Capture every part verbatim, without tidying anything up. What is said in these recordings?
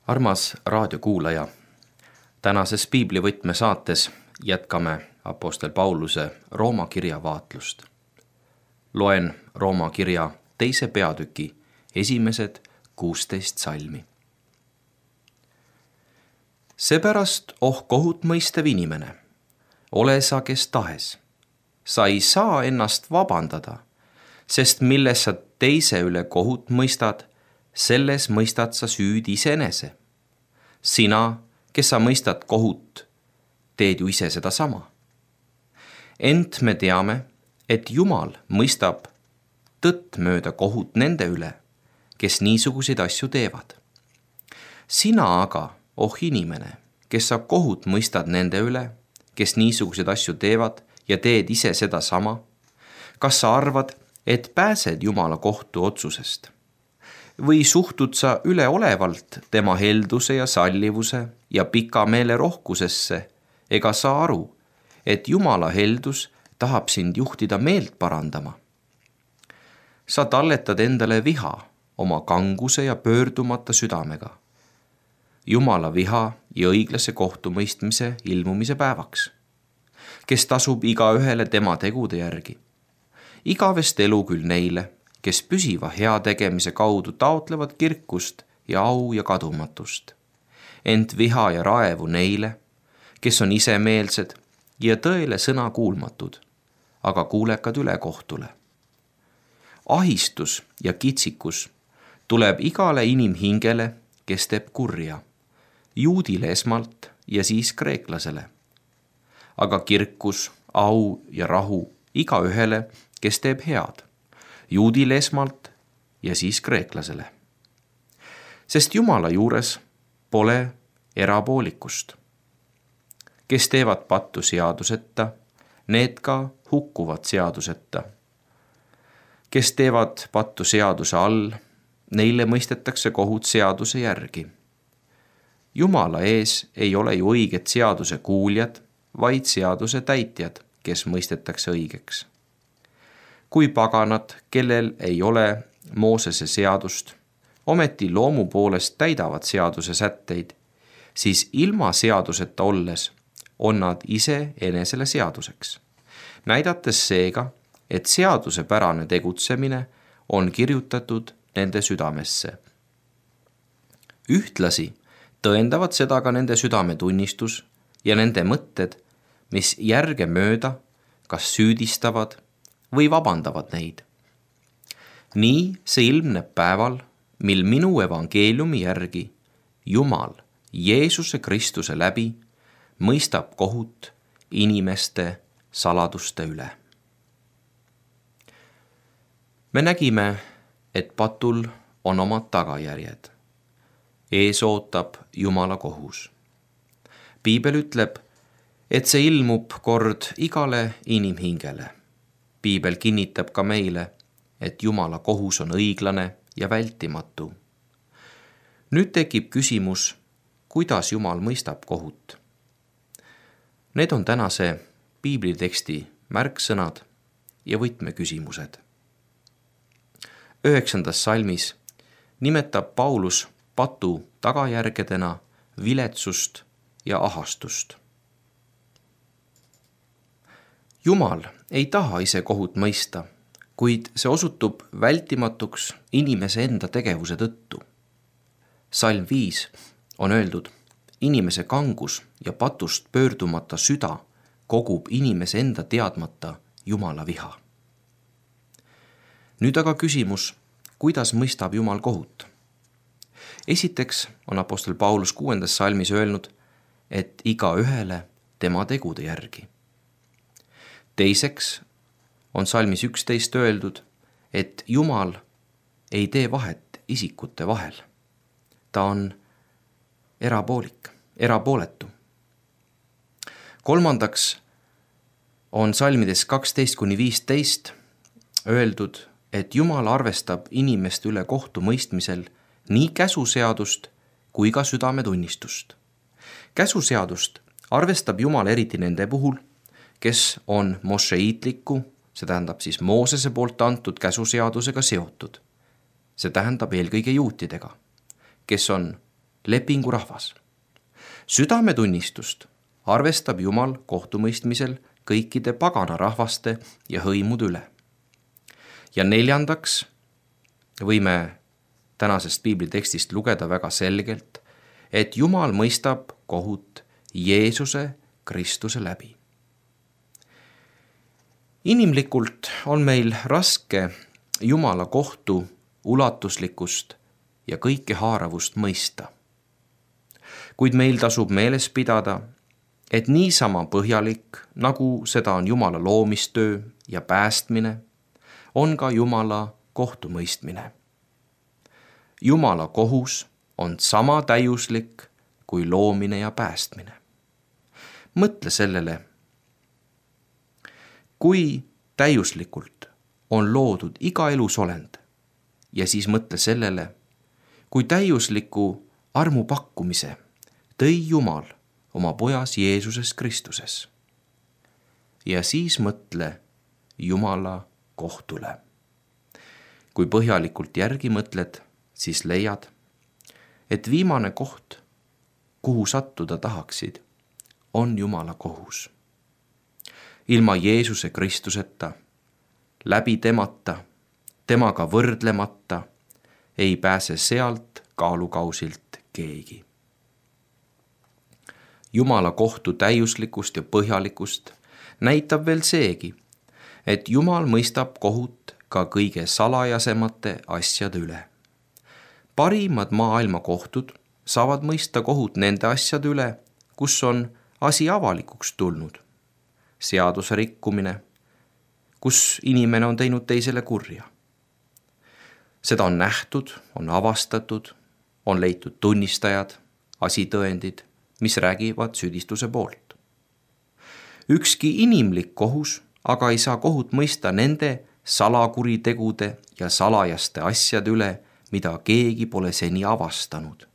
Armas raadiokuulaja, tänases piiblivõtme saates jätkame apostel Pauluse Rooma kirja vaatlust. Loen Rooma kirja teise peatüki esimesed kuusteist salmi. Seepärast, oh kohut mõistev inimene, ole sa kes tahes. Sa ei saa ennast vabandada, sest milles sa teise üle kohut mõistad, selles mõistad sa süüd iseenese. Sina, kes sa mõistad kohut, teed ju ise seda sama. Ent me teame, et Jumal mõistab tõtt mööda kohut nende üle, kes niisuguseid asju teevad. Sina aga, oh inimene, kes sa kohut mõistad nende üle, kes niisuguseid asju teevad ja teed ise seda sama, kas sa arvad, et pääsed Jumala kohtu otsusest? Või suhtud sa üleolevalt tema helduse ja sallivuse ja pika meele rohkusesse, ega sa aru, et Jumala heldus tahab sind juhtida meelt parandama? Sa talletad endale viha oma kanguse ja pöördumata südamega, Jumala viha ja õiglase kohtumõistmise ilmumise päevaks, kes tasub igaühele tema tegude järgi. Igavest elu küll neile, kes püsiva heategemise kaudu taotlevad kirkust ja au ja kadumatust. Ent viha ja raevu neile, kes on isemeelsed ja tõele sõna kuulmatud, aga kuulekad ülekohtule. Ahistus ja kitsikus tuleb igale inimhingele, kes teeb kurja, juudile esmalt ja siis kreeklasele. Aga kirkus, au ja rahu igaühele, kes teeb head, juudile esmalt ja siis kreeklasele. Sest Jumala juures pole erapoolikust. Kes teevad pattu seaduseta, need ka hukkuvad seaduseta. Kes teevad pattu seaduse all, neile mõistetakse kohut seaduse järgi. Jumala ees ei ole ju õiget seaduse kuuljad, vaid seaduse täitjad, kes mõistetakse õigeks. Kui paganad, kellel ei ole Moosese seadust, ometi loomu poolest täidavad seaduse sätteid, siis ilma seaduseta olles on nad ise enesele seaduseks, näidates seega, et seadusepärane tegutsemine on kirjutatud nende südamesse. Ühtlasi tõendavad seda ka nende südametunnistus ja nende mõtted, mis järge mööda kas süüdistavad või vabandavad neid. Nii see ilmneb päeval, mil minu evangeeliumi järgi Jumal Jeesuse Kristuse läbi mõistab kohut inimeste saladuste üle. Me nägime, et patul on omad tagajärjed. Ees ootab Jumala kohus. Piibel ütleb, et see ilmub kord igale inimhingele. Piibel kinnitab ka meile, et Jumala kohus on õiglane ja vältimatu. Nüüd tekib küsimus, kuidas Jumal mõistab kohut. Need on tänase piibliteksti märksõnad ja võtmeküsimused. Üheksandas salmis nimetab Paulus patu tagajärgedena viletsust ja ahastust. Jumal ei taha ise kohut mõista, kuid see osutub vältimatuks inimese enda tegevuse tõttu. Salm viis on öeldud, inimese kangus ja patust pöördumata süda kogub inimese enda teadmata Jumala viha. Nüüd aga küsimus, kuidas mõistab Jumal kohut? Esiteks on apostel Paulus kuuendas salmis öelnud, et igaühele tema tegude järgi. Teiseks on salmis üksteist öeldud, et Jumal ei tee vahet isikute vahel. Ta on erapoolik, erapooletu. Kolmandaks on salmides kaksteist kuni viisteist öeldud, et Jumal arvestab inimeste üle kohtu mõistmisel nii käsuseadust kui ka südametunnistust. Käsuseadust arvestab Jumal eriti nende puhul, kes on mošeitliku, see tähendab siis Moosese poolt antud käsuseadusega seotud. See tähendab eelkõige juutidega, kes on lepingurahvas. Südametunnistust arvestab Jumal kohtumõistmisel kõikide pagana rahvaste ja hõimude üle. Ja neljandaks võime tänasest piiblitekstist lugeda väga selgelt, et Jumal mõistab kohut Jeesuse Kristuse läbi. Inimlikult on meil raske Jumala kohtu ulatuslikkust ja kõikehaaravust mõista. Kuid meil tasub meeles pidada, et niisama põhjalik, nagu seda on Jumala loomistöö ja päästmine, on ka Jumala kohtumõistmine. Jumala kohus on sama täiuslik kui loomine ja päästmine. Mõtle sellele, kui täiuslikult on loodud iga elusolend ja siis mõtle sellele, kui täiusliku armu pakkumise tõi Jumal oma pojas Jeesuses Kristuses. Ja siis mõtle Jumala kohtule. Kui põhjalikult järgi mõtled, siis leiad, et viimane koht, kuhu sattuda tahaksid, on Jumala kohus. Ilma Jeesuse Kristuseta, läbi temata, temaga võrdlemata, ei pääse sealt kaalukausilt keegi. Jumala kohtu täiuslikust ja põhjalikust näitab veel seegi, et Jumal mõistab kohut ka kõige salajasemate asjade üle. Parimad maailma kohtud saavad mõista kohut nende asjade üle, kus on asi avalikuks tulnud. Seaduse rikkumine, kus inimene on teinud teisele kurja. Seda on nähtud, on avastatud, on leitud tunnistajad, asitõendid, mis räägivad süüdistuse poolt. Ükski inimlik kohus aga ei saa kohut mõista nende salakuritegude ja salajaste asjade üle, mida keegi pole seni avastanud.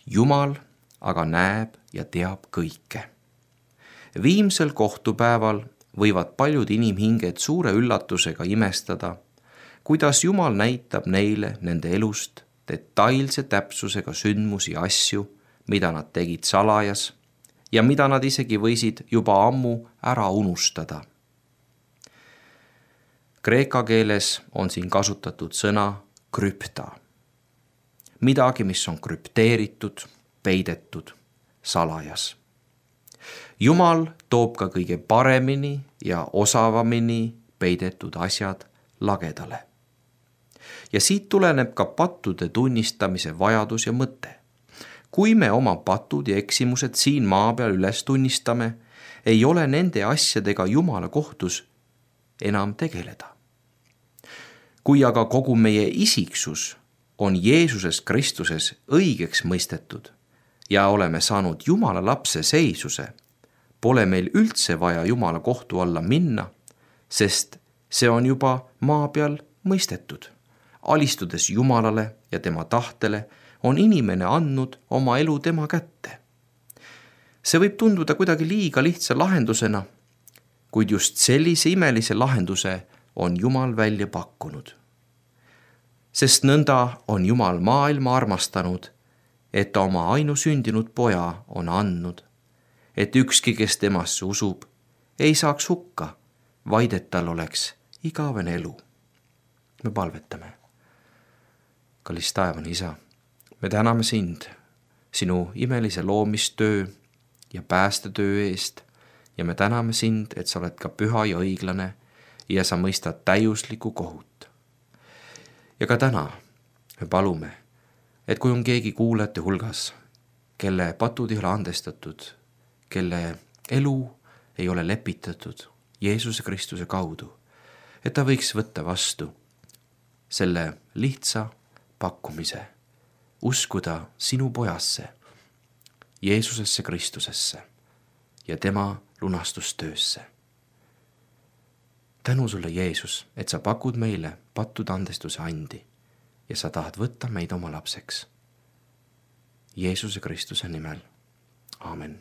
Jumal aga näeb ja teab kõike. Viimsel kohtupäeval võivad paljud inimhinged suure üllatusega imestada, kuidas Jumal näitab neile nende elust detailse täpsusega sündmusi ja asju, mida nad tegid salajas ja mida nad isegi võisid juba ammu ära unustada. Kreeka keeles on siin kasutatud sõna krüpta. Midagi, mis on krüpteeritud, peidetud, salajas. Jumal toob ka kõige paremini ja osavamini peidetud asjad lagedale. Ja siit tuleneb ka pattude tunnistamise vajadus ja mõte. Kui me oma patud ja eksimused siin maa peal üles tunnistame, ei ole nende asjadega Jumala kohtus enam tegeleda. Kui aga kogu meie isiksus on Jeesuses Kristuses õigeks mõistetud ja oleme saanud Jumala lapse seisuse, pole meil üldse vaja Jumala kohtu alla minna, sest see on juba maa peal mõistetud. Alistudes Jumalale ja tema tahtele on inimene andnud oma elu tema kätte. See võib tunduda kuidagi liiga lihtsa lahendusena, kuid just sellise imelise lahenduse on Jumal välja pakkunud. Sest nõnda on Jumal maailma armastanud, et ta oma ainusündinud poja on andnud, et ükski, kes temasse usub, ei saaks hukka, vaid et tal oleks igavene elu. Me palvetame. Kallis taevane Isa, me täname sind, sinu imelise loomistöö ja päästetöö eest ja me täname sind, et sa oled ka püha ja õiglane ja sa mõistad täiuslikku kohut. Ja ka täna me palume, et kui on keegi kuulajate hulgas, kelle patud ei ole andestatud, kelle elu ei ole lepitatud Jeesuse Kristuse kaudu, et ta võiks võtta vastu selle lihtsa pakkumise, uskuda sinu pojasse, Jeesusesse Kristusesse ja tema lunastustöösse. Tänu sulle, Jeesus, et sa pakud meile pattude andestuse andi ja sa tahad võtta meid oma lapseks. Jeesuse Kristuse nimel. Aamen.